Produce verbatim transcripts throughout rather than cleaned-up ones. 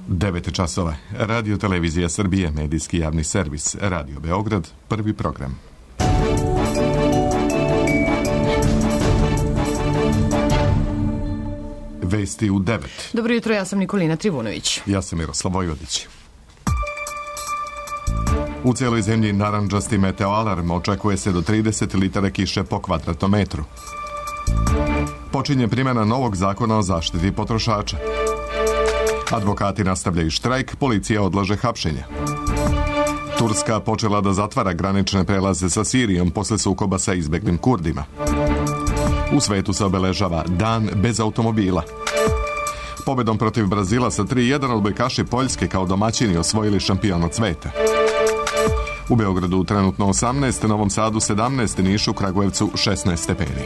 devet časova. Radio Televizija Srbije, medijski javni servis. Radio Beograd, prvi program. Vesti u devet. Dobro jutro, ja sam Nikolina Trivunović. Ja sam Miroslav Vojvodić. U cijeloj zemlji narandžasti meteoalarm, očekuje se do trideset litara kiše po kvadratnom metru. Počinje primjena novog zakona o zaštiti potrošača. Advokati nastavljaju štrajk, policija odlaže hapšenje. Turska počela da zatvara granične prelaze sa Sirijom posle sukoba sa izbeglim Kurdima. U svetu se obeležava Dan bez automobila. Pobedom protiv Brazila sa tri jedan odbojkaši Poljske kao domaćini osvojili šampionat sveta. U Beogradu trenutno osamnaest, Novom Sadu sedamnaest, Nišu, Kragujevcu šesnaest stepeni.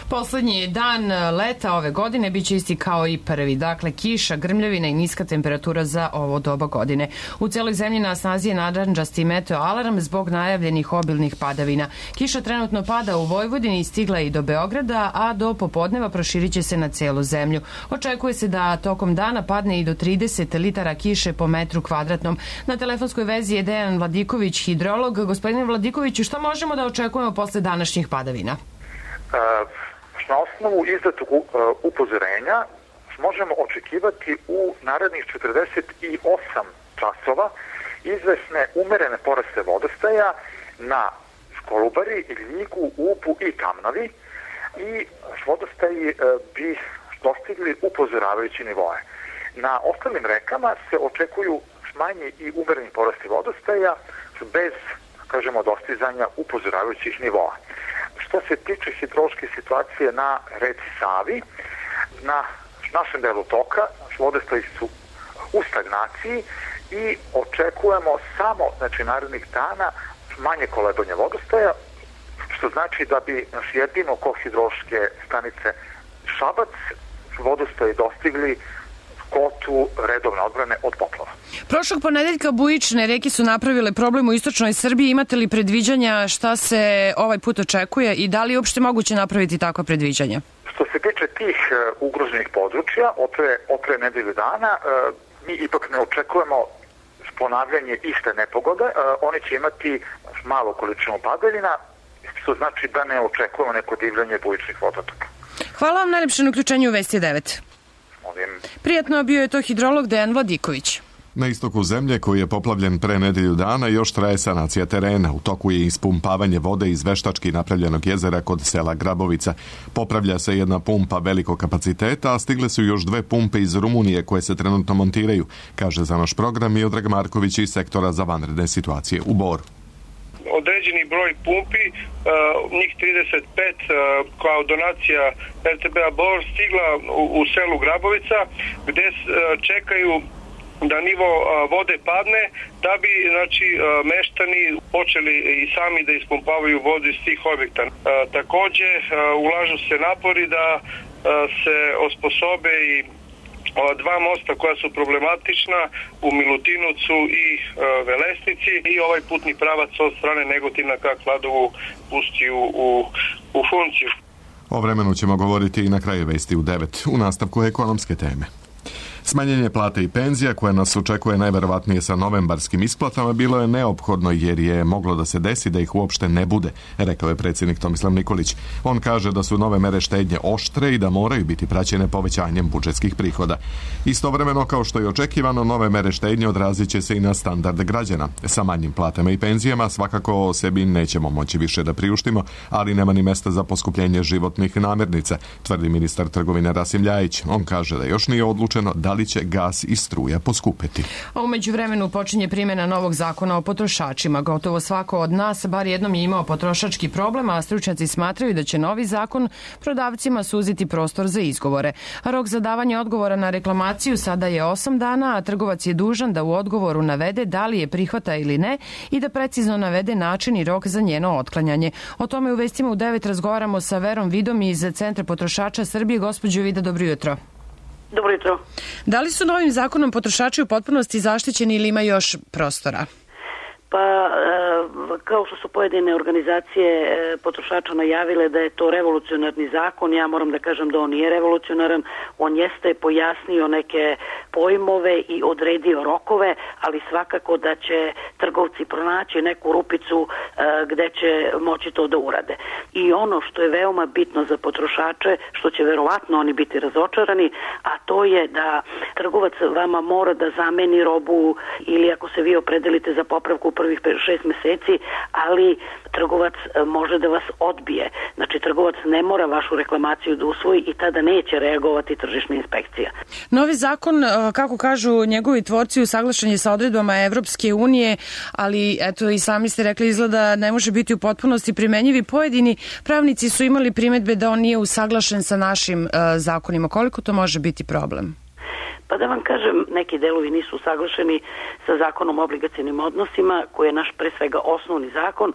Poslednji dan leta ove godine biće isti kao i prvi. Dakle, kiša, grmljavina i niska temperatura za ovo doba godine. U celoj zemlji na snazi je narandžasti meteoalarm zbog najavljenih obilnih padavina. Kiša trenutno pada u Vojvodini i stigla i do Beograda, a do popodneva proširit će se na celu zemlju. Očekuje se da tokom dana padne i do trideset litara kiše po metru kvadratnom. Na telefonskoj vezi je Dejan Vladiković, hidrolog. Gospodine Vladikoviću, šta možemo da očekujemo posle današnjih padavina? Uh... Na osnovu izdatog upozorenja možemo očekivati u narednih četrdeset osam časova izvesne umerene poraste vodostaja na Kolubari, Ljigu, Ubu i Kamnovi i vodostaji bi dostigli upozoravajući nivoe. Na ostalim rekama se očekuju manji i umereni porasti vodostaja bez, kažemo, dostizanja upozoravajućih nivoa. Što se tiče hidrološke situacije na reci Savi, na našem delu toka vodostaji su u stagnaciji i očekujemo samo, znači, narednih dana manje kolebanja vodostaja, što znači da bi naš jedino oko hidrološke stanice Šabac vodostaji dostigli kotu redovne odbrane od poplava. Prošlog ponedeljka bujične reke su napravile problem u istočnoj Srbiji. Imate li predviđanja šta se ovaj put očekuje i da li je uopšte moguće napraviti takva predviđanja? Što se tiče tih uh, ugroženih područja, opre, opre nedelju dana, uh, mi ipak ne očekujemo ponavljanje iste nepogode. Uh, oni će imati malo količinu padaljina, što znači da ne očekujemo neko divljanje bujičnih vodotoka. Hvala vam najlepše na uključenju u Vesti devet. Prijatno, bio je to hidrolog Dejan Vladiković. Na istoku zemlje, koji je poplavljen pre nedelju dana, još traje sanacija terena. U toku je ispumpavanje vode iz veštački napravljenog jezera kod sela Grabovica. Popravlja se jedna pumpa velikog kapaciteta, a stigle su još dve pumpe iz Rumunije koje se trenutno montiraju, kaže za naš program Miodrag Marković iz sektora za vanredne situacije u Boru. Određeni broj pumpi, uh, njih trideset pet uh, kao donacija er te be-a Bor stigla u, u selu Grabovica, gde uh, čekaju da nivo uh, vode padne, da bi, znači, uh, meštani počeli i sami da ispumpavaju vodu iz tih objekta. Uh, takođe, uh, ulažu se napori da uh, se osposobe i dva mosta koja su problematična u Milutinovcu i e, Velesnici i ovaj putni pravac od strane Negotina ka Kladovu pusti u, u, u funkciju. O vremenu ćemo govoriti i na kraju Vesti u devet, u nastavku ekonomske teme. Smanjenje plate i penzija koje nas očekuje najverovatnije sa novembarskim isplatama bilo je neophodno jer je moglo da se desi da ih uopšte ne bude, rekao je predsjednik Tomislav Nikolić. On kaže da su nove mere štednje oštre i da moraju biti praćene povećanjem budžetskih prihoda. Istovremeno, kao što je očekivano, nove mere štednje odrazit će se i na standard građana. Sa manjim platama i penzijama svakako sebi nećemo moći više da priuštimo, ali nema ni mesta za poskupljenje životnih namirnica, tvrdi ministar trgovine Rasim Ljajić. On kaže da još nije odlučeno da li će gas i struja poskupeti. A umeđu vremenu počinje primjena novog zakona o potrošačima. Gotovo svako od nas bar jednom je imao potrošački problem, a stručnjaci smatraju da će novi zakon prodavcima suziti prostor za izgovore. Rok za davanje odgovora na reklamaciju sada je osam dana, a trgovac je dužan da u odgovoru navede da li je prihvata ili ne i da precizno navede način i rok za njeno otklanjanje. O tome u Vestima u devet razgovaramo sa Verom Vidom iz Centra potrošača Srbije. Gospođo Vida, dobro jutro. Dobro jutro. Da li su novim zakonom potrošači u potpunosti zaštićeni ili ima još prostora? Pa, kao što su pojedine organizacije potrošača najavile da je to revolucionarni zakon, ja moram da kažem da on nije revolucionaran, on jeste pojasnio neke pojmove i odredio rokove, ali svakako da će trgovci pronaći neku rupicu gde će moći to da urade. I ono što je veoma bitno za potrošače, što će verovatno oni biti razočarani, a to je da trgovac vama mora da zameni robu ili ako se vi opredelite za popravku prvih šest meseci, ali trgovac može da vas odbije. Znači, trgovac ne mora vašu reklamaciju da usvoji i tada neće reagovati tržišna inspekcija. Novi zakon, kako kažu njegovi tvorci, usaglašen je sa odredbama Evropske unije, ali eto i sami ste rekli, izgleda ne može biti u potpunosti primenjivi. Pojedini pravnici su imali primedbe da on nije usaglašen sa našim uh, zakonima. Koliko to može biti problem? Pa da vam kažem, neki delovi nisu usaglašeni sa zakonom o obligacionim odnosima, koji je naš pre svega osnovni zakon.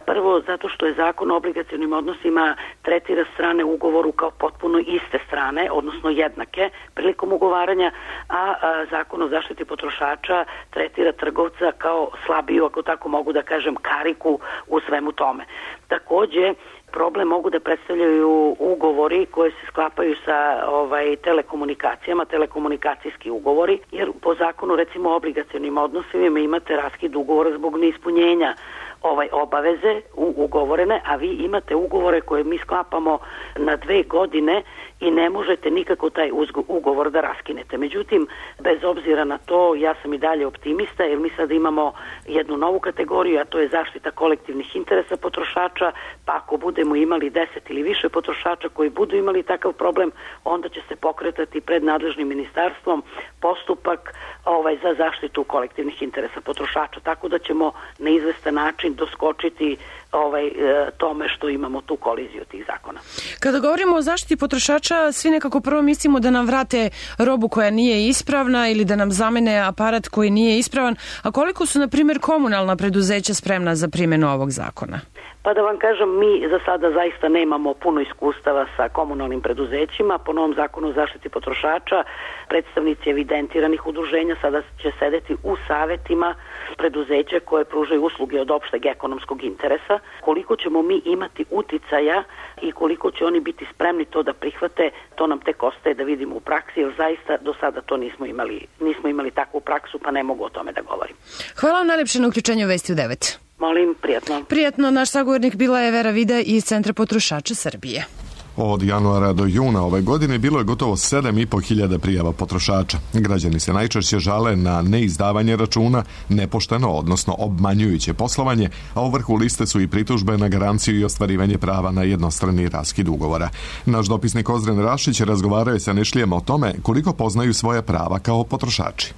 Prvo, zato što je zakon o obligacionim odnosima tretira strane u ugovoru kao potpuno iste strane, odnosno jednake prilikom ugovaranja, a, a zakon o zaštiti potrošača tretira trgovca kao slabiju, ako tako mogu da kažem, kariku u svemu tome. Takođe, problem mogu da predstavljaju ugovori koji se sklapaju sa ovaj telekomunikacijama, telekomunikacijski ugovori, jer po zakonu recimo o obligacionim odnosima imate raskid ugovora zbog neispunjenja ovaj obaveze u ugovorene, a vi imate ugovore koje mi sklapamo na dve godine i ne možete nikako taj ugovor da raskinete. Međutim, bez obzira na to, ja sam i dalje optimista, jer mi sad imamo jednu novu kategoriju, a to je zaštita kolektivnih interesa potrošača, pa ako budemo imali deset ili više potrošača koji budu imali takav problem, onda će se pokretati pred nadležnim ministarstvom postupak ovaj, za zaštitu kolektivnih interesa potrošača, tako da ćemo na izvestan način doskočiti ovaj, tome što imamo tu koliziju tih zakona. Kada govorimo o zaštiti potrošača, svi nekako prvo mislimo da nam vrate robu koja nije ispravna ili da nam zamene aparat koji nije ispravan, a koliko su, na primjer, komunalna preduzeća spremna za primjenu ovog zakona? Pa da vam kažem, mi za sada zaista nemamo puno iskustava sa komunalnim preduzećima. Po novom zakonu o zaštiti potrošača predstavnici evidentiranih udruženja sada će sedeti u savetima preduzeća koje pružaju usluge od opšteg ekonomskog interesa. Koliko ćemo mi imati uticaja i koliko će oni biti spremni to da prihvate, to nam tek ostaje da vidimo u praksi, jer zaista do sada to nismo imali, nismo imali takvu praksu, pa ne mogu o tome da govorim. Hvala vam najlepše na uključenju Vesti u devet. Molim, prijatno. Prijatno, naš sagovornik bila je Vera Vida iz Centra potrošača Srbije. Od januara do juna ove godine bilo je gotovo sedam i po hiljada prijava potrošača. Građani se najčešće žale na neizdavanje računa, nepošteno, odnosno obmanjujuće poslovanje, a u vrhu liste su i pritužbe na garanciju i ostvarivanje prava na jednostrani raskid ugovora. Naš dopisnik Ozren Rašić razgovarao je sa Nišlijama o tome koliko poznaju svoja prava kao potrošači.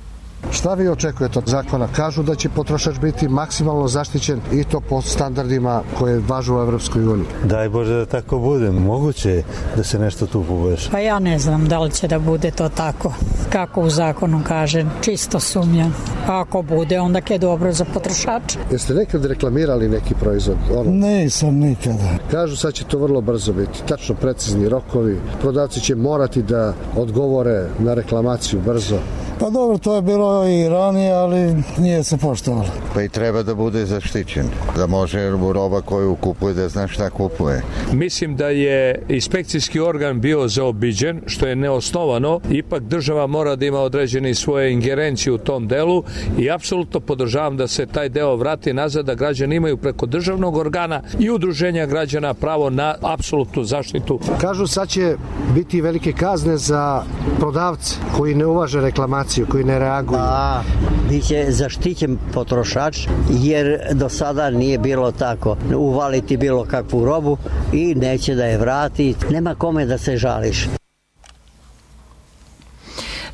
Šta vi očekujete od zakona? Kažu da će potrošač biti maksimalno zaštićen i to po standardima koje važu u Evropskoj uniji. Daj Bože da tako bude. Moguće je da se nešto tu poboljša. Pa ja ne znam da li će da bude to tako. Kako u zakonu kaže, čisto sumnjam. A ako bude, onda je dobro za potrošača. Jeste nekad reklamirali neki proizvod? Ono? Nisam nikada. Kažu sad će to vrlo brzo biti. Tačno precizni rokovi. Prodavci će morati da odgovore na reklamaciju brzo. Pa dobro, to je bilo i ranije, ali nije se poštovalo. Pa i treba da bude zaštićen, da može roba koju kupuje da zna šta kupuje. Mislim da je inspekcijski organ bio zaobiđen, što je neosnovano. Ipak država mora da ima određene svoje ingerencije u tom delu i apsolutno podržavam da se taj deo vrati nazad, da građani imaju preko državnog organa i udruženja građana pravo na apsolutnu zaštitu. Kažu sad će biti velike kazne za prodavce koji ne uvaže reklamaciju, koji ne reaguju. Pa, biće zaštićen potrošač, jer do sada nije bilo tako. Uvaliti bilo kakvu robu i neće da je vrati. Nema kome da se žališ.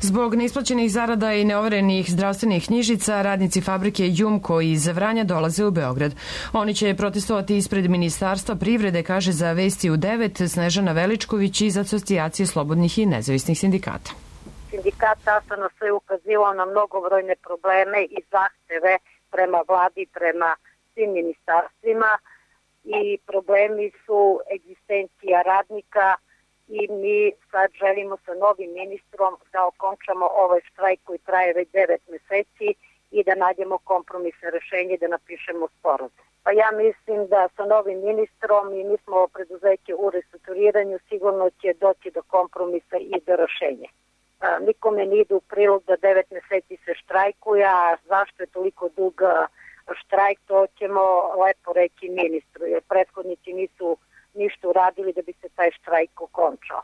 Zbog neisplaćenih zarada i neoverenih zdravstvenih knjižica, radnici fabrike Jumko iz Vranja dolaze u Beograd. Oni će protestovati ispred Ministarstva privrede, kaže za Vesti u devet Snežana Veličković iz Asocijacije slobodnih i nezavisnih sindikata. Sindikat sastavno sve ukazivao na mnogobrojne probleme i zahteve prema vladi, prema svim ministarstvima i problemi su egzistencija radnika i mi sad želimo sa novim ministrom da okončamo ovaj štrajk koji traje već devet meseci i da nađemo kompromisne rešenje i da napišemo sporazum. Pa ja mislim da sa novim ministrom i mi smo preduzeće u restrukturiranju, sigurno će doći do kompromisa i do rešenja. Nikome ne ide u prilog da devet meseci se štrajkuje, a zašto je toliko dug štrajk, to ćemo lepo reći ministru, jer prethodnici nisu ništa uradili da bi se taj štrajk okončao.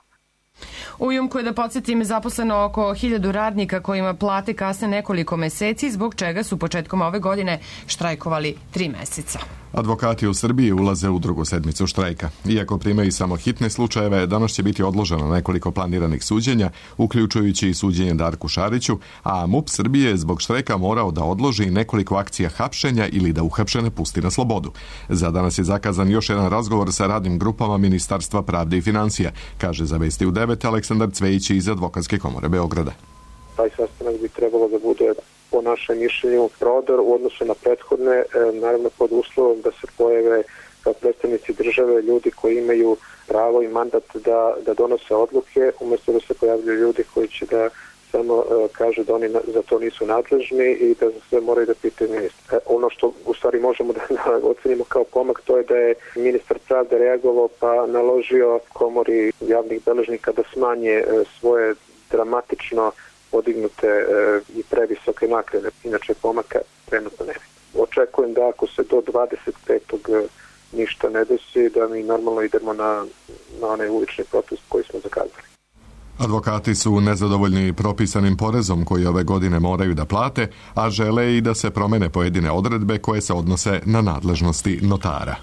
U Jumku je, da podsjetim, zaposleno oko hiljadu radnika kojima plate kasne nekoliko meseci, zbog čega su početkom ove godine štrajkovali tri meseca. Advokati u Srbiji ulaze u drugu sedmicu štrajka. Iako primaju samo hitne slučajeve, danas će biti odloženo nekoliko planiranih suđenja, uključujući i suđenje Darku Šariću, a MUP Srbije je zbog štrajka morao da odloži nekoliko akcija hapšenja ili da uhapšene pusti na slobodu. Za danas je zakazan još jedan razgovor sa radnim grupama Ministarstva pravde i financija, kaže za Vesti u devet Aleksandar Cvejić iz Advokatske komore Beograda. Taj sastanak bi trebalo da bude, po našem mišljenju, prodor u odnosu na prethodne, naravno pod uslovom da se pojave kao predstavnici države ljudi koji imaju pravo i mandat da, da donose odluke, umjesto da se pojavljaju ljudi koji će da samo kažu da oni za to nisu nadležni i da sve moraju da pitaju ministra. Ono što u stvari možemo da ocenimo kao pomak, to je da je ministar pravde reagovao pa naložio komori javnih beležnika da smanje svoje dramatično podignute i previsoke naknade. Inače pomaka trenutno nema. Očekujem da ako se do dvadeset petog ništa ne desi, da mi normalno idemo na, na onaj ulični protest koji smo zakazali. Advokati su nezadovoljni propisanim porezom koji ove godine moraju da plate, a žele i da se promene pojedine odredbe koje se odnose na nadležnosti notara.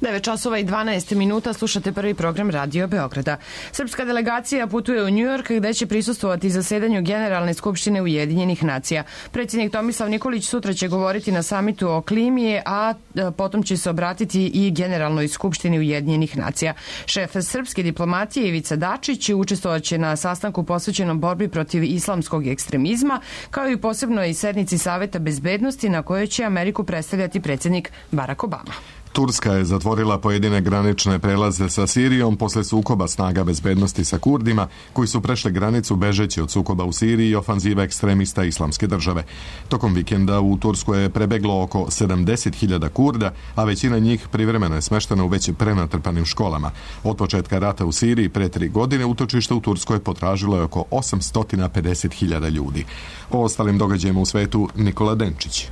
devet časova i dvanaest minuta, slušate prvi program Radio Beograda. Srpska delegacija putuje u Njujork gde će prisustvovati zasedanju Generalne skupštine Ujedinjenih nacija. Predsjednik Tomislav Nikolić sutra će govoriti na samitu o klimi, a potom će se obratiti i Generalnoj skupštini Ujedinjenih nacija. Šef srpske diplomatije Ivica Dačić učestvovaće na sastanku posvećenom borbi protiv islamskog ekstremizma, kao i posebnoj sednici Saveta bezbednosti na kojoj će Ameriku predstavljati predsjednik Barack Obama. Turska je zatvorila pojedine granične prelaze sa Sirijom posle sukoba snaga bezbednosti sa Kurdima, koji su prešli granicu bežeći od sukoba u Siriji i ofanziva ekstremista Islamske države. Tokom vikenda u Tursku je prebeglo oko sedamdeset hiljada Kurda, a većina njih privremeno je smeštena u već prenatrpanim školama. Od početka rata u Siriji pre tri godine utočište u Turskoj potražilo je oko osamsto pedeset hiljada ljudi. O ostalim događajima u svetu Nikola Denčić.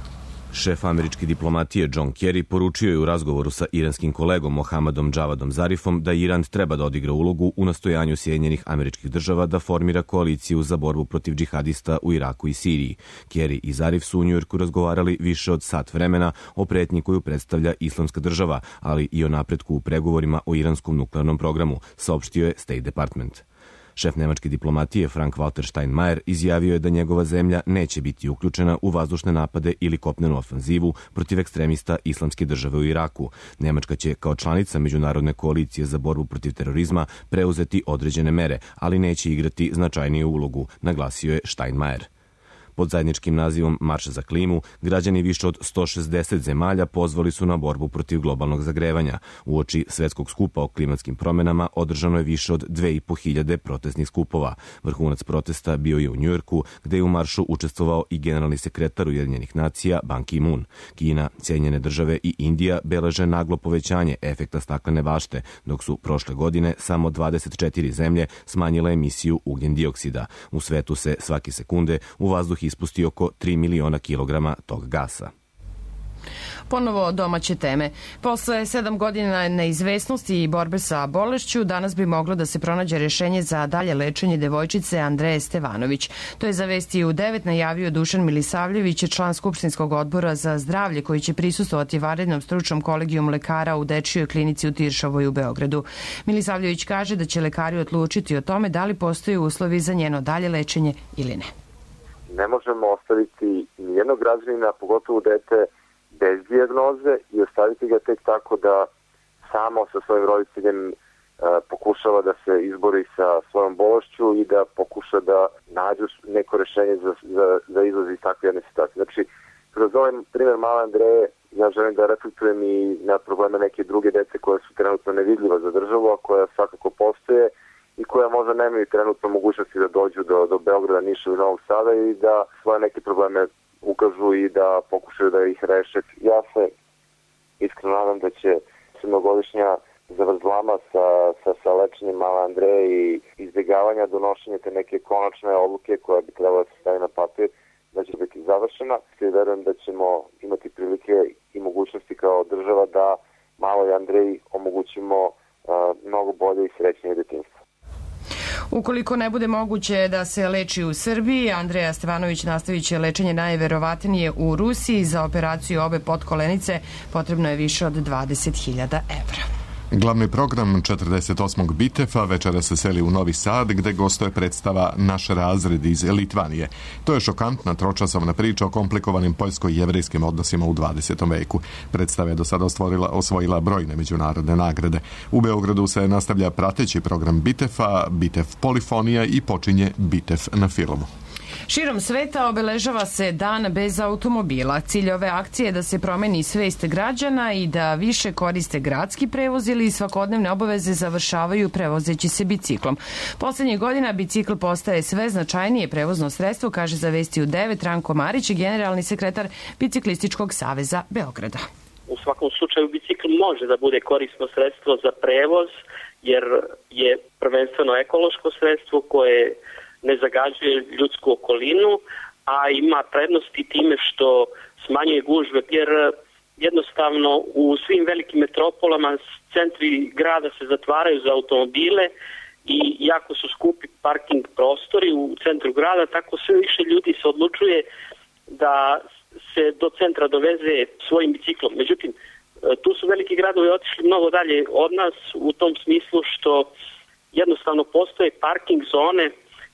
Šef američke diplomatije John Kerry poručio je u razgovoru sa iranskim kolegom Mohamedom Javadom Zarifom da Iran treba da odigra ulogu u nastojanju Sjedinjenih Američkih Država da formira koaliciju za borbu protiv džihadista u Iraku i Siriji. Kerry i Zarif su u Njujorku razgovarali više od sat vremena o pretnji koju predstavlja Islamska država, ali i o napretku u pregovorima o iranskom nuklearnom programu, saopštio je State Department. Šef nemačke diplomatije Frank-Walter Steinmeier izjavio je da njegova zemlja neće biti uključena u vazdušne napade ili kopnenu ofanzivu protiv ekstremista Islamske države u Iraku. Nemačka će kao članica Međunarodne koalicije za borbu protiv terorizma preuzeti određene mere, ali neće igrati značajniju ulogu, naglasio je Steinmeier. Pod zajedničkim nazivom Marš za klimu, građani više od sto šezdeset zemalja pozvali su na borbu protiv globalnog zagrevanja. Uoči svetskog skupa o klimatskim promenama održano je više od dve i po hiljade protestnih skupova. Vrhunac protesta bio je u Njujorku, gde je u maršu učestvovao i generalni sekretar Ujedinjenih nacija Ban Ki-moon. Kina, Sjedinjene države i Indija beleže naglo povećanje efekta staklene bašte, dok su prošle godine samo dvadeset četiri zemlje smanjile emisiju ugljen dioksida. U svetu se svake sekunde u vazduh ispusti oko tri miliona kilograma tog gasa. Ponovo domaće teme. Posle sedam godina neizvesnosti i borbe sa bolešću, danas bi moglo da se pronađe rešenje za dalje lečenje devojčice Andreje Stevanović. To je za Vesti u devet najavio Dušan Milisavljević, član Skupštinskog odbora za zdravlje, koji će prisustvovati vanrednom stručnom kolegijum lekara u Dečijoj klinici u Tiršovoj u Beogradu. Milisavljević kaže da će lekari odlučiti o tome da li postoje uslovi za njeno dalje lečenje ili ne. Ne možemo ostaviti nijednog građanina, pogotovo dete, bez dijagnoze i ostaviti ga tek tako da samo sa svojim roditeljem e, pokušava da se izbori sa svojom bolešću i da pokuša da nađu neko rešenje za, za, za izlaz iz takve jedne situacije. Znači, kroz ovaj primjer male Andreje, ja želim da reflektujem i na probleme neke druge dece koje su trenutno nevidljiva za državu, a koja svakako postoje i koja možda nemaju trenutno mogućnosti da dođu do, do Beograda, Niša i Novog Sada i da svoje neke probleme ukažu i da pokušaju da ih reše. Ja se iskreno nadam da će se mnogodišnja zavrzlama sa, sa, sa lečenjem male Andreje i izbjegavanja donošenja te neke konačne odluke koja bi trebala da se stavi na papir, da će biti završena. I verujem da ćemo imati prilike i mogućnosti kao država da maloj Andreji omogućimo uh, mnogo bolje i srećnije detinjstvo. Ukoliko ne bude moguće da se leči u Srbiji, Andreja Stevanović nastavit će lečenje najverovatnije u Rusiji. Za operaciju obe potkolenice potrebno je više od dvadeset hiljada evra. Glavni program četrdeset osmog Bitefa večera se seli u Novi Sad, gde gostuje predstava Naš razred iz Litvanije. To je šokantna tročasovna priča o komplikovanim poljsko-jevrejskim odnosima u dvadesetom veku. Predstava je do sada osvojila, osvojila brojne međunarodne nagrade. U Beogradu se nastavlja prateći program Bitefa, Bitef Polifonija i počinje Bitef na filmu. Širom sveta obeležava se dan bez automobila. Cilj ove akcije je da se promeni svest građana i da više koriste gradski prevoz ili svakodnevne obaveze završavaju prevozeći se biciklom. Poslednjih godina bicikl postaje sve značajnije prevozno sredstvo, kaže za Vesti u devet Ranko Marić, generalni sekretar Biciklističkog saveza Beograda. U svakom slučaju bicikl može da bude korisno sredstvo za prevoz, jer je prvenstveno ekološko sredstvo koje ne zagađuje ljudsku okolinu, a ima prednosti time što smanjuje gužve, jer jednostavno u svim velikim metropolama centri grada se zatvaraju za automobile i jako su skupi parking prostori u centru grada, tako sve više ljudi se odlučuje da se do centra doveze svojim biciklom. Međutim, tu su veliki gradovi otišli mnogo dalje od nas u tom smislu što jednostavno postoje parking zone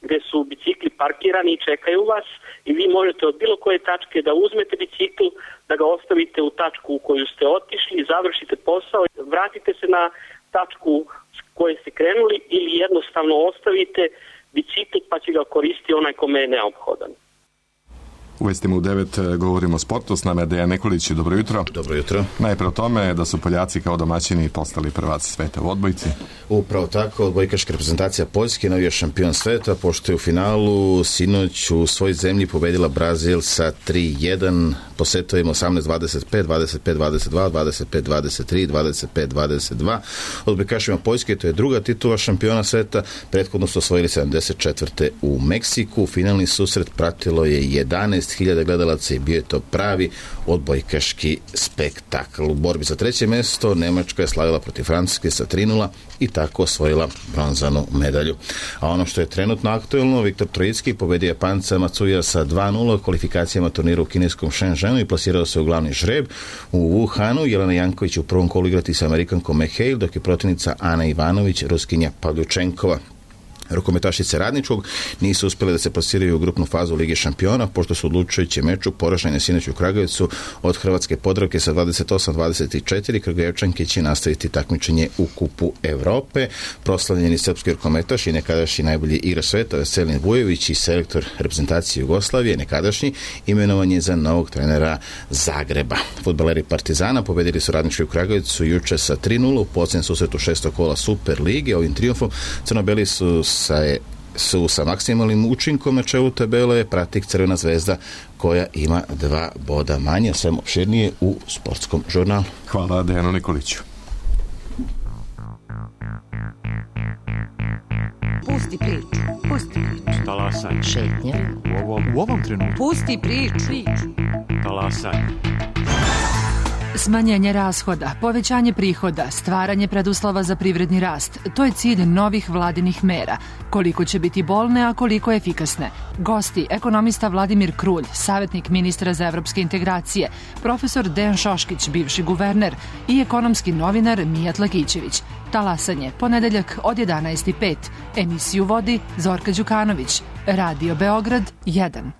gde su bicikli parkirani i čekaju vas i vi možete od bilo koje tačke da uzmete bicikl, da ga ostavite u tačku u koju ste otišli, završite posao, vratite se na tačku s koje ste krenuli ili jednostavno ostavite bicikl pa će ga koristiti onaj kome je neophodan. U Vestima u devet govorimo o sportu, s nama je Dejan Nikolić. Dobro jutro. Dobro jutro. Najpre o tome da su Poljaci kao domaćini postali prvaci sveta u odbojci. Upravo tako, odbojkaška reprezentacija Poljske, novi je šampion sveta, pošto je u finalu sinoć u svojoj zemlji pobedila Brazil sa tri jedan, po setovima osamnaest dvadeset pet, dvadeset pet dvadeset dva, dvadeset pet dvadeset tri, dvadeset pet dvadeset dva. Odbojkašima Poljske, to je druga titula šampiona sveta, prethodno su osvojili sedamdeset četvrte u Meksiku. Finalni susret pratilo je jedanaest hiljada gledalaca i bio je to pravi odbojkaški spektakl. U borbi za treće mesto Nemačka je slavila protiv Francuske sa tri nula i tako osvojila bronzanu medalju. A ono što je trenutno aktuelno, Viktor Trojicki pobedio Japanca Matsuya sa dva nula u kvalifikacijama turnira u kineskom Shenzhenu i plasirao se u glavni žreb. U Wuhanu Jelena Janković u prvom kolu igrati sa Amerikankom McHale, dok je protivnica Ana Ivanović Ruskinja Pavljučenkova. Rukometašice Radničkog nisu uspjele da se plasiraju u grupnu fazu Lige šampiona, pošto su odlučujući meču poražene sinoć u Kragujevcu od Hrvatske Podravke sa dvadeset osam dvadeset četiri. Kragujevčanke će nastaviti takmičenje u Kupu Evrope. Proslavljeni srpski rukometaš i nekadašnji najbolji igrač sveta Veselin Vujović i selektor reprezentacije Jugoslavije, nekadašnji, imenovan je za novog trenera Zagreba. Fudbaleri Partizana pobedili su Radnički u Kragujevcu juče sa tri nula u posljednjem susretu šestog kola Super lige. Ovim trijumfom crnobeli su sa je su sa maksimalnim učinkom na čelu tabele prati Crvena zvezda koja ima dva boda manje, sve opširnije u sportskom žurnalu. Hvala Dejanu Nikoliću. Pusti priču, pusti priču. Talasaj. Šetnja. U ovom, u ovom trenutku. Pusti priču. priču. Talasaj. Smanjenje rashoda, povećanje prihoda, stvaranje preduslova za privredni rast, to je cilj novih vladinih mera. Koliko će biti bolne, a koliko efikasne? Gosti, ekonomista Vladimir Krulj, savjetnik ministra za evropske integracije, profesor Dejan Šoškić, bivši guverner i ekonomski novinar Mijat Lakićević. Talasanje, ponedeljak od jedanaest i pet. Emisiju vodi Zorka Đukanović. Radio Beograd jedan.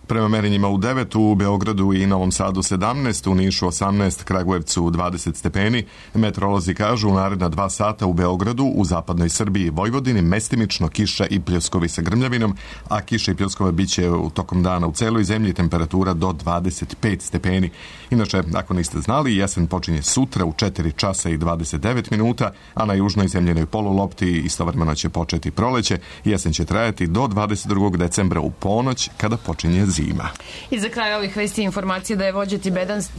Prema merenjima u devet, u Beogradu i Novom Sadu sedamnaest, u Nišu osamnaest, Kragujevcu dvadeset stepeni. Meteorolozi kažu u naredna dva sata u Beogradu, u zapadnoj Srbiji i Vojvodini mestimično kiša i pljuskovi sa grmljavinom, a kiša i pljuskova biće u tokom dana u celoj zemlji, temperatura do dvadeset pet stepeni. Inače, ako niste znali, jesen počinje sutra u četiri časa i dvadeset devet minuta, a na južnoj zemljenoj polulopti istovremeno će početi proleće. Jesen će trajati do dvadeset drugog decembra u ponoć, kada počinje zima. I za kraj ovih vesti informacije da je vođa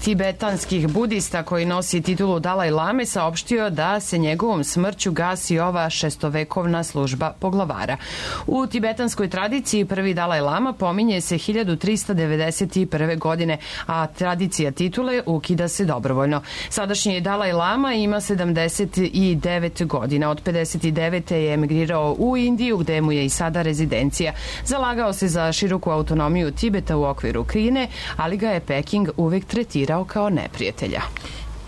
tibetanskih budista koji nosi titulu Dalaj Lame saopštio da se njegovom smrću gasi ova šestovekovna služba poglavara. U tibetanskoj tradiciji prvi Dalaj Lama pominje se hiljadu trista devedeset prve. godine, a tradicija titule ukida se dobrovoljno. Sadašnji Dalaj Lama ima sedamdeset devet godina. Od pedeset devete je emigrirao u Indiju, gde mu je i sada rezidencija. Zalagao se za široku autonomiju Tibeta u okviru Kine, ali ga je Peking uvek tretirao kao neprijatelja.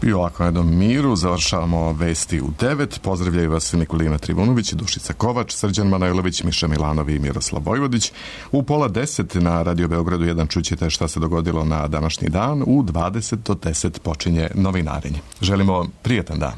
I ovako na jednom miru završavamo vesti u devet. Pozdravljaju vas Nikolina Trivunović, Dušica Kovač, Srđan Manojlović, Miša Milanovi i Miroslav Vojvodić. U pola deset na Radio Beogradu jedan čućete šta se dogodilo na današnji dan. U dvadeset do deset počinje novinarenje. Želimo prijatan dan.